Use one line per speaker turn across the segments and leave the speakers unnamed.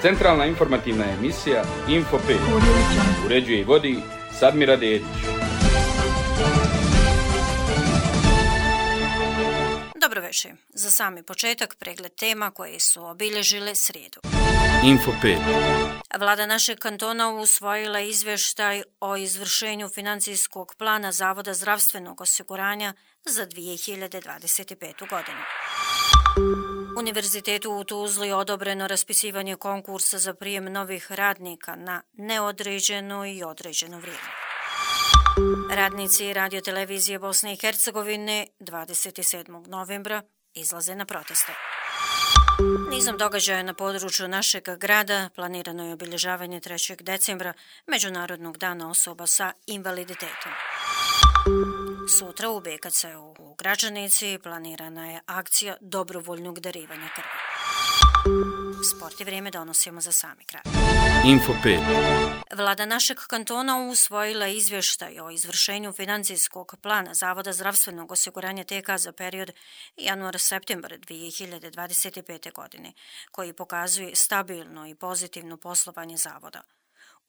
Centralna informativna emisija Info 5. Uređuje i vodi Sadmira Dedić.
Dobro večer. Za sami početak pregled tema koje su obilježile srijedu.
Info 5.
Vlada našeg kantona usvojila izvještaj o izvršenju financijskog plana Zavoda zdravstvenog osiguranja za 2025. godinu. Univerzitetu u Tuzli odobreno raspisivanje konkursa za prijem novih radnika na neodređeno i određeno vrijeme. Radnici radiotelevizije Bosne i Hercegovine 27. novembra izlaze na proteste. Nizom događaja na području našeg grada planirano je obilježavanje 3. decembra Međunarodnog dana osoba sa invaliditetom. Sutra u BKC-u u Gračanici planirana je akcija dobrovoljnog darivanja krvi. Sport i vrijeme donosimo za sami kraj.
Info 5.
Vlada našeg kantona usvojila izvještaj o izvršenju financijskog plana Zavoda zdravstvenog osiguranja TK za period januar-septembar 2025. godine, koji pokazuje stabilno i pozitivno poslovanje zavoda.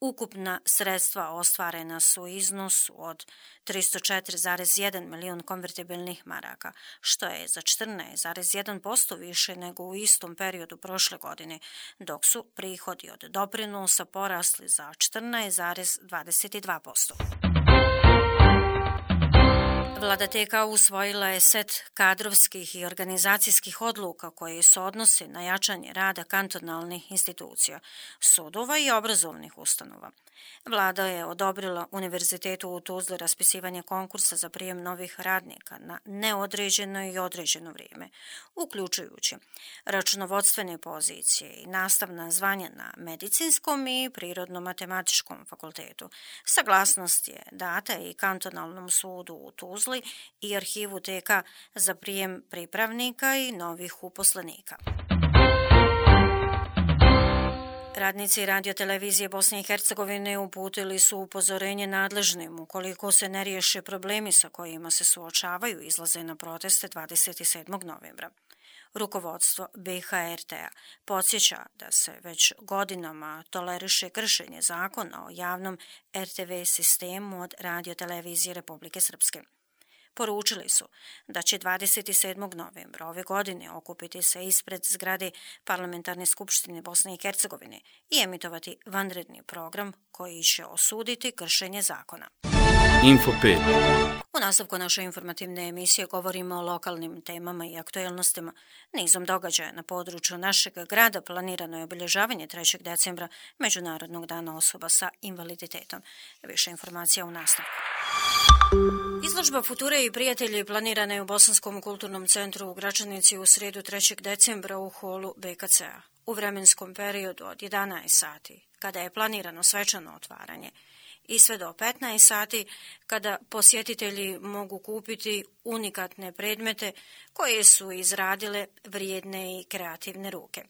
Ukupna sredstva ostvarena su u iznosu od 304,1 milijun konvertibilnih maraka, što je za 14,1% više nego u istom periodu prošle godine, dok su prihodi od doprinosa porasli za 14,22%. Vlada TK usvojila je set kadrovskih i organizacijskih odluka koje se odnose na jačanje rada kantonalnih institucija, sudova i obrazovnih ustanova. Vlada je odobrila Univerzitetu u Tuzli raspisivanje konkursa za prijem novih radnika na neodređeno i određeno vrijeme, uključujući računovodstvene pozicije i nastavna zvanja na medicinskom i prirodno-matematičkom fakultetu. Saglasnost je data i kantonalnom sudu u Tuzli i arhivu TK za prijem pripravnika i novih uposlenika. Radnici radiotelevizije Bosne i Hercegovine uputili su upozorenje nadležnim ukoliko se ne riješe problemi sa kojima se suočavaju izlaze na proteste 27. novembra. Rukovodstvo BHRT-a podsjeća da se već godinama toleriše kršenje zakona o javnom RTV sistemu od radiotelevizije Republike Srpske. Poručili su da će 27. novembra ove godine okupiti se ispred zgrade Parlamentarne skupštine Bosne i Hercegovine i emitovati vanredni program koji će osuditi kršenje zakona.
Info 5.
U nastavku naše informativne emisije govorimo o lokalnim temama i aktuelnostima. Nizom događaja na području našeg grada planirano je obilježavanje 3. decembra Međunarodnog dana osoba sa invaliditetom. Više informacija u nastavku. Izložba Future i prijatelji planirana je u Bosanskom kulturnom centru u Gračanici u srijedu 3. decembra u holu BKC-a. U vremenskom periodu od 11 sati, kada je planirano svečano otvaranje, i sve do 15 sati, kada posjetitelji mogu kupiti unikatne predmete koje su izradile vrijedne i kreativne ruke.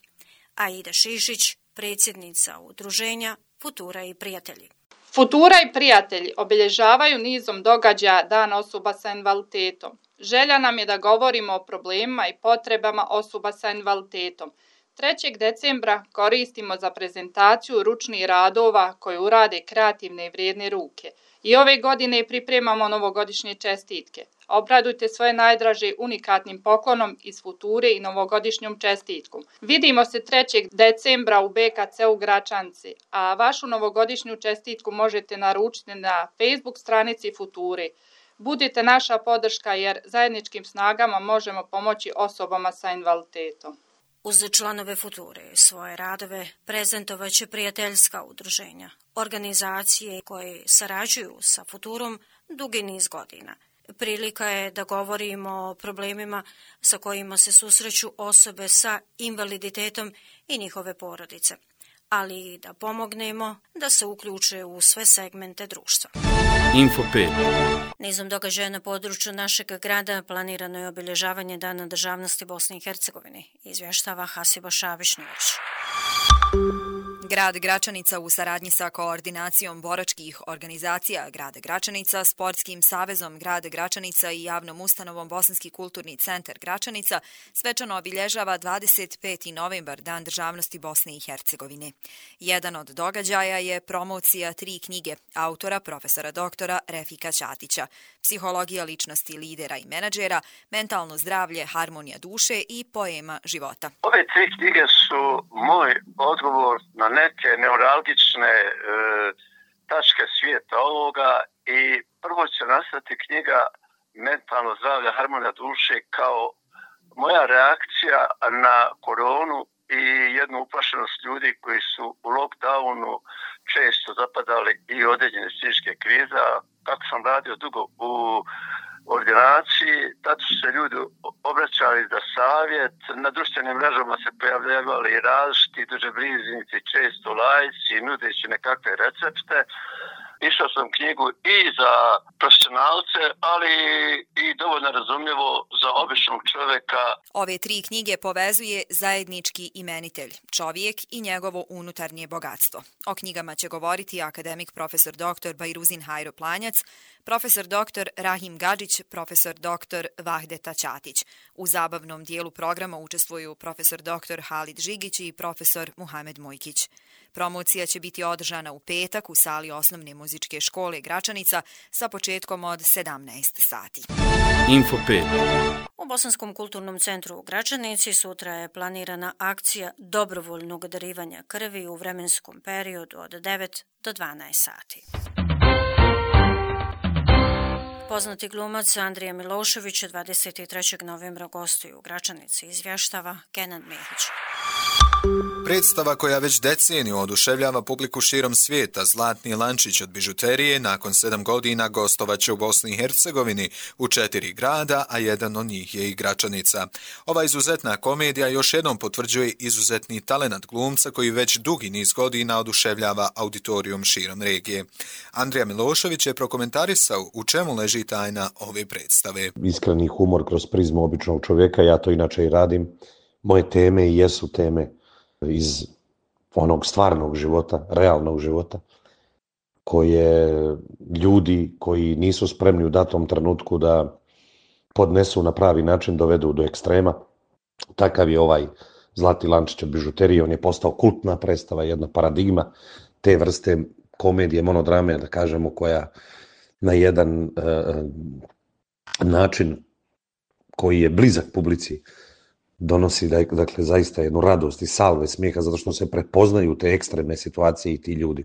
Aida Šišić, predsjednica udruženja Futura i prijatelji.
Futura i prijatelji obilježavaju nizom događaja Dan osoba sa invaliditetom. Želja nam je da govorimo o problemima i potrebama osoba sa invaliditetom. 3. decembra koristimo za prezentaciju ručnih radova koje urade kreativne i vrijedne ruke. I ove godine pripremamo novogodišnje čestitke. Obradujte svoje najdraže unikatnim poklonom iz Future i novogodišnjom čestitkom. Vidimo se 3. decembra u BKC-u Gračanci, a vašu novogodišnju čestitku možete naručiti na Facebook stranici Future. Budite naša podrška jer zajedničkim snagama možemo pomoći osobama sa invaliditetom.
Uz članove Future svoje radove prezentovat će prijateljska udruženja, organizacije koje sarađuju sa Futurom dugi niz godina. Prilika je da govorimo o problemima sa kojima se susreću osobe sa invaliditetom i njihove porodice, ali i da pomognemo da se uključe u sve segmente društva.
Info 5.
Nizom događaja na području našeg grada planirano je obilježavanje Dana državnosti Bosne i Hercegovine, izvještava Hasiba Šabišnjević.
Grad Gračanica u saradnji sa koordinacijom boračkih organizacija Grada Gračanica, Sportskim savezom Grada Gračanica i javnom ustanovom Bosanski kulturni centar Gračanica svečano obilježava 25. novembar, Dan državnosti Bosne i Hercegovine. Jedan od događaja je promocija 3 knjige autora profesora doktora Refika Ćatića, Psihologija ličnosti lidera i menadžera, Mentalno zdravlje, harmonija duše i Poema života.
Ove 3 knjige su moj odgovor na neke neuralgične tačke svijeta ovoga i prvo će nastati knjiga Mentalno zdravlje, harmonija duše kao moja reakcija na koronu i jednu uplašenost ljudi koji su u lockdownu često zapadali i određene psihičke krize. Kako sam radio dugo u ordinaciji, tad su se ljudi obraćali za savjet, na društvenim mrežama se pojavljavali različiti dužebrižnici, često laici, nudeći nekakve recepte. Išao sam knjigu i za profesionalce, ali i dovoljno razumljivo za običnog čovjeka.
Ove 3 knjige povezuje zajednički imenitelj, čovjek i njegovo unutarnje bogatstvo. O knjigama će govoriti akademik profesor dr. Bajruzin Hajro Planjac, profesor dr. Rahim Gadžić, profesor dr. Vahdeta Ćatić. U zabavnom dijelu programa učestvuju profesor dr. Halid Žigić i profesor Muhamed Mojkić. Promocija će biti održana u petak u sali Osnovne muzičke škole Gračanica sa početkom od 17 sati.
Info 5.
U Bosanskom kulturnom centru u Gračanici sutra je planirana akcija dobrovoljnog darivanja krvi u vremenskom periodu od 9 do 12 sati. Poznati glumac Andrija Milošević 23. novembra gostuje u Gračanici, izvještava Kenan Mehić.
Predstava koja već deceniju oduševljava publiku širom svijeta, Zlatni lančić od bižuterije, nakon 7 godina gostovaće u Bosni i Hercegovini u 4 grada, a jedan od njih je i Gračanica. Ova izuzetna komedija još jednom potvrđuje izuzetni talenat glumca koji već dugi niz godina oduševljava auditorijum širom regije. Andrija Milošević je prokomentarisao u čemu leži tajna ove predstave.
Iskreni humor kroz prizmu običnog čovjeka, ja to inače i radim. Moje teme i jesu teme iz onog stvarnog života, realnog života, koje ljudi koji nisu spremni u datom trenutku da podnesu na pravi način dovedu do ekstrema. Takav je ovaj Zlatni lančić od bižuterije, on je postao kultna predstava, jedna paradigma te vrste komedije, monodrame, da kažemo, koja na jedan način koji je blizak publici donosi, dakle, zaista jednu radost i salve smijeha, zato što se prepoznaju te ekstremne situacije i ti ljudi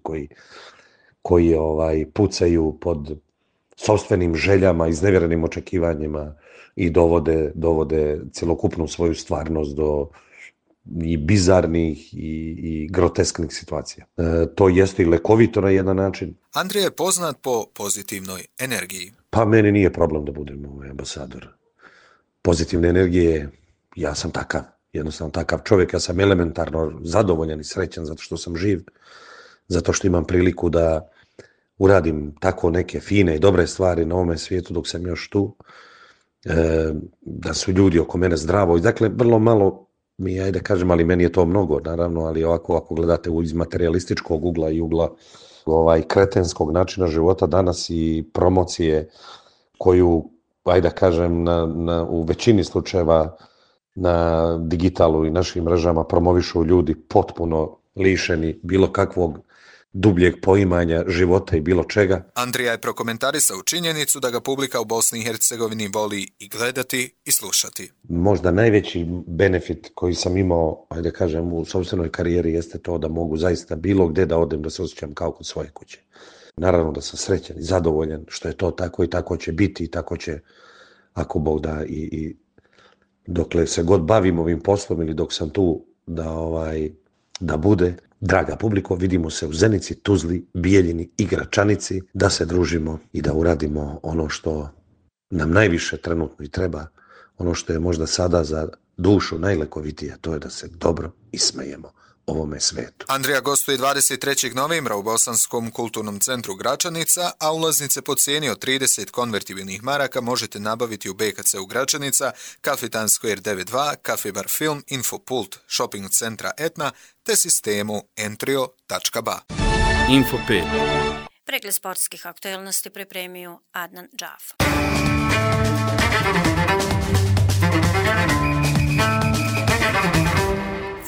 koji pucaju pod sopstvenim željama, iznevjerenim očekivanjima i dovode cjelokupnu svoju stvarnost do i bizarnih i grotesknih situacija. To jeste i lekovito na jedan način.
Andrija je poznat po pozitivnoj energiji.
Pa meni nije problem da budem ambasador pozitivne energije. Ja sam takav, jednostavno takav čovjek, ja sam elementarno zadovoljan i srećan zato što sam živ, zato što imam priliku da uradim tako neke fine i dobre stvari na ovome svijetu dok sam još tu, da su ljudi oko mene zdravo i dakle vrlo malo mi, ajde kažem, ali meni je to mnogo, naravno, ali ovako ako gledate iz materialističkog ugla i ugla kretenskog načina života danas i promocije koju, ajde kažem, u većini slučajeva na digitalu i našim mrežama promovišu ljudi potpuno lišeni bilo kakvog dubljeg poimanja života i bilo čega.
Andrija je prokomentarisao činjenicu da ga publika u Bosni i Hercegovini voli i gledati i slušati.
Možda najveći benefit koji sam imao, ajde kažem, u sopstvenoj karijeri jeste to da mogu zaista bilo gdje da odem da se osjećam kao kod svoje kuće. Naravno da sam srećan i zadovoljan što je to tako i tako će biti i tako će, ako Bog da, i dokle se god bavim ovim poslom ili dok sam tu da bude. Draga publiko, vidimo se u Zenici, Tuzli, Bijeljini i Gračanici, da se družimo i da uradimo ono što nam najviše trenutno i treba, ono što je možda sada za dušu najlekovitije, to je da se dobro ismejemo ovome svetu.
Andrija gostuje 23. novembra u Bosanskom kulturnom centru Gračanica, a ulaznice po cijeni od 30 konvertibilnih maraka možete nabaviti u BKC u Gračanica, Kafitan Square 92, Cafe Bar Film, Infopult, Shopping centra Etna te sistemu entrio.ba.
Info 5.
Pregled sportskih aktualnosti pripremio Adnan Džaf.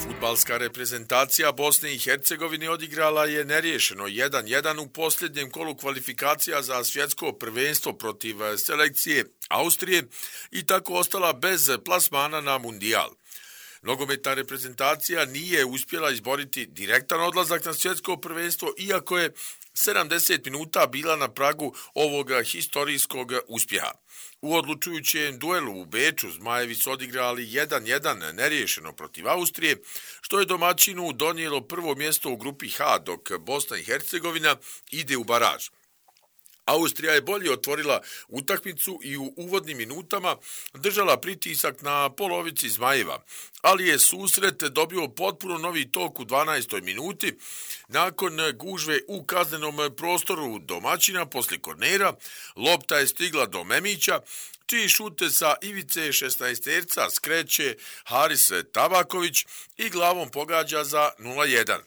Fudbalska reprezentacija Bosne i Hercegovine odigrala je neriješeno 1-1 u posljednjem kolu kvalifikacija za svjetsko prvenstvo protiv selekcije Austrije i tako ostala bez plasmana na mundijal. Nogometna reprezentacija nije uspjela izboriti direktan odlazak na svjetsko prvenstvo, iako je 70 minuta bila na pragu ovog historijskog uspjeha. U odlučujućem duelu u Beču Zmajevi su odigrali 1-1 neriješeno protiv Austrije, što je domaćinu donijelo prvo mjesto u grupi H, dok Bosna i Hercegovina ide u baraž. Austrija je bolje otvorila utakmicu i u uvodnim minutama držala pritisak na polovici Zmajeva, ali je susret dobio potpuno novi tok u 12. minuti nakon gužve u kaznenom prostoru domaćina poslije kornera. Lopta je stigla do Memića, čiji šut sa ivice 16-terca skreće Haris Tabaković i glavom pogađa za 0-1.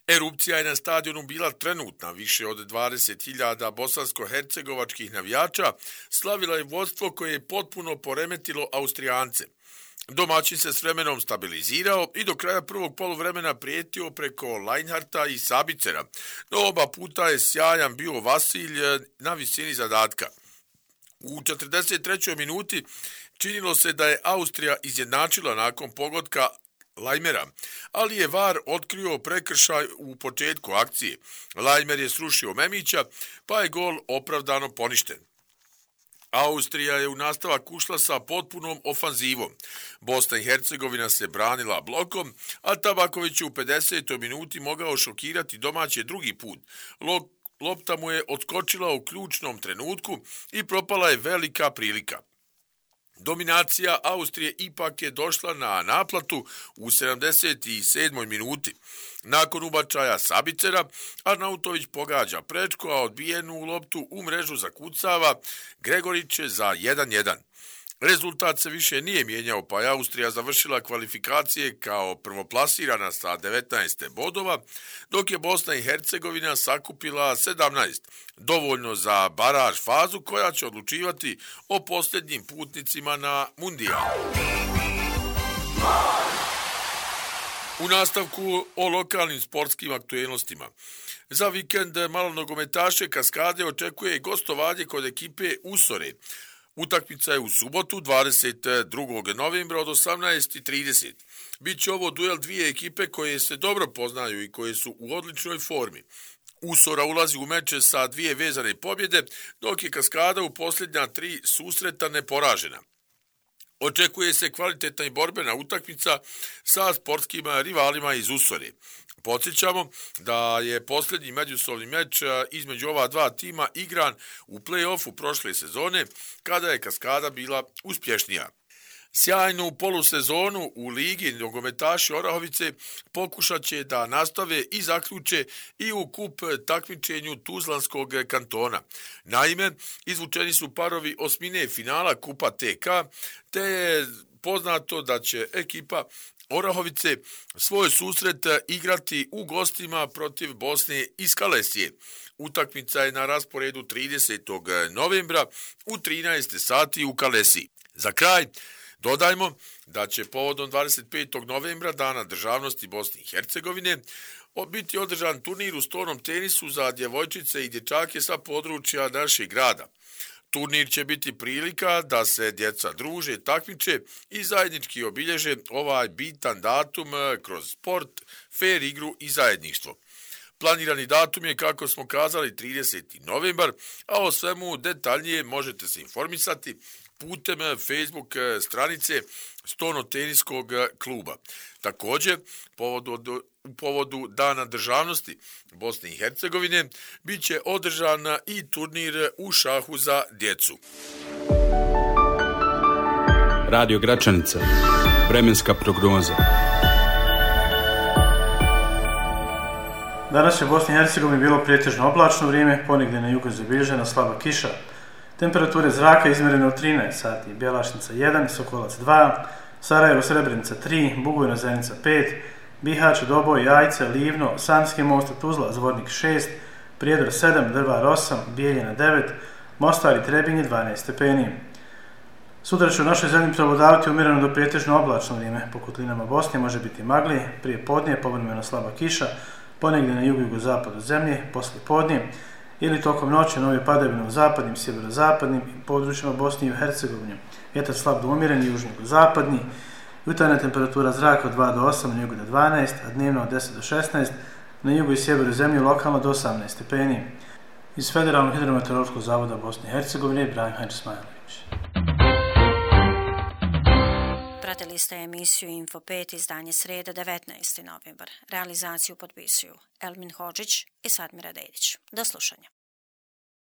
Erupcija je na stadionu bila trenutna, više od 20.000 bosansko-hercegovačkih navijača slavila je vodstvo koje je potpuno poremetilo Austrijance. Domaćin se s vremenom stabilizirao i do kraja prvog poluvremena prijetio preko Leinharta i Sabicera, no oba puta je sjajan bio Vasilj na visini zadatka. U 43. minuti činilo se da je Austrija izjednačila nakon pogotka Lajmera, ali je VAR otkrio prekršaj u početku akcije. Lajmer je srušio Memića, pa je gol opravdano poništen. Austrija je u nastavak ušla sa potpunom ofanzivom. Bosna i Hercegovina se branila blokom, a Tabaković u 50. minuti mogao šokirati domaće drugi put. Lopta mu je odskočila u ključnom trenutku i propala je velika prilika. Dominacija Austrije ipak je došla na naplatu u 77. minuti. Nakon ubačaja Sabicera, Arnautović pogađa prečko, a odbijenu loptu u mrežu zakucava Gregorić za 1-1. Rezultat se više nije mijenjao, pa je Austrija završila kvalifikacije kao prvoplasirana sa 19 bodova, dok je Bosna i Hercegovina sakupila 17, dovoljno za baraž fazu koja će odlučivati o posljednjim putnicima na mundijal. U nastavku o lokalnim sportskim aktualnostima. Za vikend malonogometaše Kaskade očekuje gostovanje kod ekipe Usore. Utakmica je u subotu 22. novembra od 18:30. Biće ovo duel dvije ekipe koje se dobro poznaju i koje su u odličnoj formi. Usora ulazi u meče sa 2 vezane pobjede, dok je Kaskada u posljednja 3 susreta neporažena. Očekuje se kvalitetna i borbena utakmica sa sportskim rivalima iz Usore. Podsjećamo da je posljednji međusobni meč između ova dva tima igran u play-offu prošle sezone, kada je Kaskada bila uspješnija. Sjajnu polusezonu u ligi nogometaši Orahovice pokušat će da nastave i zaključe i u kup takmičenju Tuzlanskog kantona. Naime, izvučeni su parovi osmine finala kupa TK, te je poznato da će ekipa Orahovice svoj susret igrati u gostima protiv Bosne iz Kalesije. Utakmica je na rasporedu 30. novembra u 13 sati u Kalesiji. Za kraj dodajmo da će povodom 25. novembra, Dana državnosti Bosne i Hercegovine, biti održan turnir u stolnom tenisu za djevojčice i dječake sa područja našeg grada. Turnir će biti prilika da se djeca druže, takmiče i zajednički obilježe ovaj bitan datum kroz sport, fer igru i zajedništvo. Planirani datum je, kako smo kazali, 30. novembar, a o svemu detaljnije možete se informisati putem Facebook stranice Stolnoteniskog kluba. Također, u povodu Dana državnosti Bosne i Hercegovine bit će održan i turnir u šahu za djecu.
Radio Gračanica. Vremenska prognoza.
Danas je u Bosni i Hercegovini bilo pretežno oblačno vrijeme, ponegdje na jugu zabilježena slaba kiša. Temperature zraka izmjerene u 13 sati, Bjelašnica 1, Sokolac 2, Sarajevo Srebrenica 3, Bugojno Zenica 5, Bihać, Doboj, Jajce, Livno, Sanski most, Tuzla, Zvornik 6, Prijedor 7, Drvar 8, Bijeljina 9, Mostar i Trebinje 12 stepeni. Sutra će u našoj zemlji prevladavati umjereno do pretežno oblačno vrijeme. Po kotlinama Bosne može biti magli, prije podnije povremeno slaba kiša, ponegdje na jugu i jugozapadu zemlje, poslije podnije ili tokom noći nove padavine u zapadnim, sjeverozapadnim područjima Bosne i Hercegovine. Vjetar slab do umjeren, južno-jugozapadni. Jutarnja temperatura zraka od 2 do 8, na jugu do 12, a dnevno od 10 do 16, na jugu i sjeveru zemlje lokalno do 18 stepeni. Iz Federalnog hidrometeorološkog zavoda Bosne i Hercegovine, Ibrahim Hadžismajlović.
Pratili ste emisiju Info 5, izdanje sreda 19. novembar. Realizaciju potpisuju Elmin Hodžić i Sadmira Dedić. Do slušanja.